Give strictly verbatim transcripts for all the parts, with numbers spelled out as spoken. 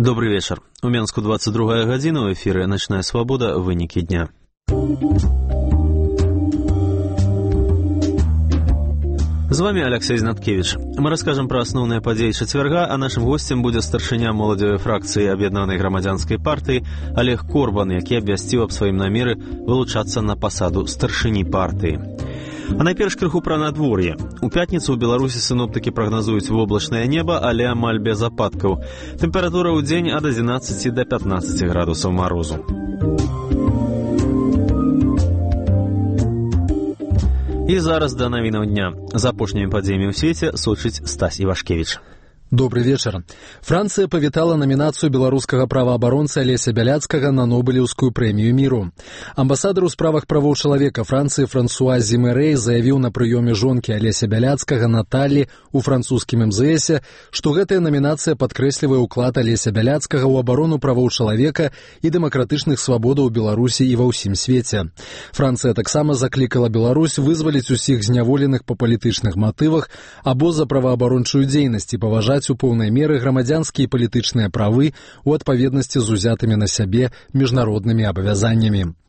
Добрый вечер. У Менску двадцать другая гадзіна, в эфире «Ночная свобода», вынікі дня. З вами Алексей Знаткевич. Мы расскажем про основные подеи четверга, а нашим гостем будет старшыня моладзевай фракции Об'яднанай грамадзянскай партии Олег Корбан, які абвясціў аб сваім намеры вылучацца на пасаду старшыні партии. А найперш крыху пра надвор'е. У пятніцу ў Беларусі сіноптыкі прагназуюць воблачнае неба, але амаль без ападкаў. Тэмпература ў дзень ад адзінаццаці да пятнаццаці градусаў марозу. І зараз да навінаў дня. З апошнімі падзеямі ў свеце сочыць Стась Івашкевіч. Добрый вечер. Франция павітала номинацию белорусского правоабаронца Олеся Бяляцкага на Нобелевскую премию миру. Амбассадор у справах правоў чалавека Франции Франсуа Зимерей заявіў на прыёме жонкі Олеся Бяляцкага Натальи у французскім эм зэ эсе, што гэтая номинация падкрэслівае ўклад Олеся Бяляцкага ў абарону правоў чалавека і дэмакратычных свабодаў Беларусі і ва ўсім свеце. Францыя таксама заклікала Беларусь вызваліць усіх зняволеных па палітычных матывах або за праваабарончую дзейнасць і паважаць у поўнай меры грамадзянскія і палітычныя правы у адпаведнасці з узятымі на сябе міжнароднымі абавязаннямі.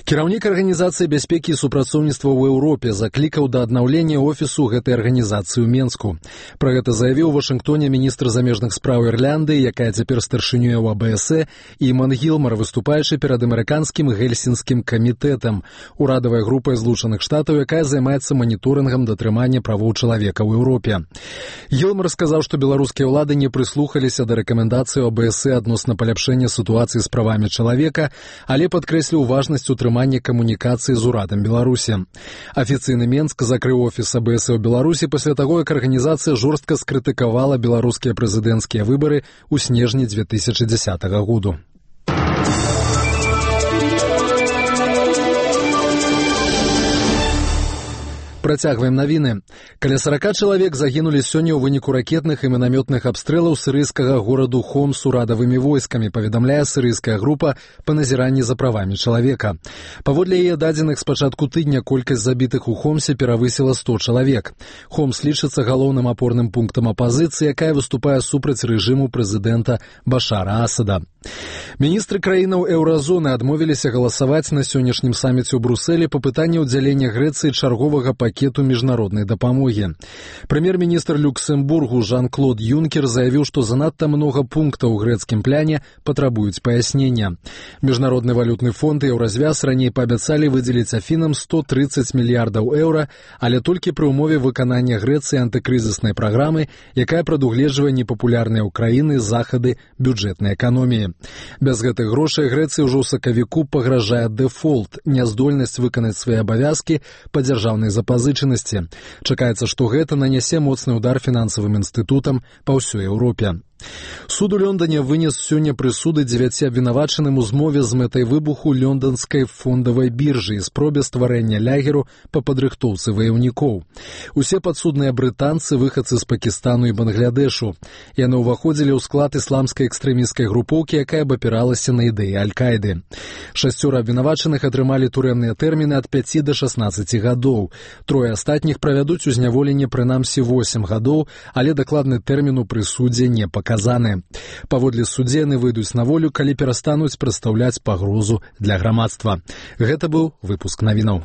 Кіраўнік арганізацыі бяспекі і супрацоўніцтва ў Еўропе заклікаў да аднаўлення офісу гэтай арганізацыі ў Менску. Пра гэта заявіў у Вашынгтоне міністр замежных спраў Ірландыі, якая цяпер старшынёе ў а бэ эс э, Іман Гілмар, выступаючы перад амерыканскім гельсінскім камітэтам, урадавай групай Злучаных Штатаў, якая займаецца маніторынгам датрымання правоў чалавека ў Еўропе. Гілмар сказаў, што беларускія ўлады не прыслухаліся да рэкамендацый а бэ эс э адносна паляпшэння сітуацыі з правамі чалавека, але падкрэсліў важнасць утрымання камунікацыі з урадам Беларусі. Афіцыйны Менск закрыў офіс а бэ эс э ў Беларусі пасля таго, як арганізацыя жорстка скрытыкавала беларускія прэзідэнцкія выбары ў снежні дзве тысячы дзесятага году. Працягваем навіны. Каля сорока чалавек загінулі сёння ў выніку ракетных і мінамётных абстрэлаў сірыйскага гораду Хомс урадавымі войскамі, паведамляе сірыйская група па назіранні за правамі чалавека. Паводле яе дадзеных з пачатку тыдня колькасць забітых у Хомсе перавысіла сто чалавек. Хомс лічыцца галоўным апорным пунктам апазіцыі, якая выступае супраць рэжыму прэзідэнта Башара Асада. Міністры краінаў еўразоны адмовіліся галасаваць на сённяшнім саміце ў Брусэлі па пытанні ўдзялення Грэцыі чарговага пакету міжнароднай дапамогі. Прэм'ер-міністр Люксембургу Жан-Клод Юнкер заявіў, што занадта многа пунктаў у грэцкім пляне патрабуюць паяснення. Міжнародны валютны фонд і Еўразвяз раней паабяцалі выдзеліць Афінам сто трыццаць мільярдаў еўра, але толькі пры ўмове выканання Грэцыі антыкрызіснай праграмы, якая прадугледжвае непапулярныя ў краіны захады бюджэтнай эканоміі. Без гэтых грошай Грэцыі ўжо ў сакавіку пагражае дэфолт, няздольнасць выканаць свае абавязкі па дзяржаўнай запазычанасці. Чакаецца, што гэта нанясе моцны ўдар фінансавым інстытутам па ўсёй Еўропе. Суд у Лондоне вынес сёння прысуды дзевяці абвінавачаным у змове з мэтай выбуху лёнданскай фондавай біржы і спробе стварэння лягеру па падрыхтоўцы ваяўнікоў. Усе падсудныя брытанцы, выхадцы з Пакістану і Бангладешу. Яны ўваходзілі ў склад ісламскай экстрэмісцкай групоўкі, якая абапіралася на ідэі Аль-Каіды. Шасцёра абвінавачаных атрымалі турэмныя тэрміны ад пяці да шаснаццаці гадоў. Трое астатніх правядуць у зняволенні прынамсі восем гадоў, але дакладны тэрмін у прысудзе не паказаны. Паводле суддзі яны выйдуць на волю, калі перастануць прадстаўляць пагрозу для грамадства. Гэта быў выпуск навінаў.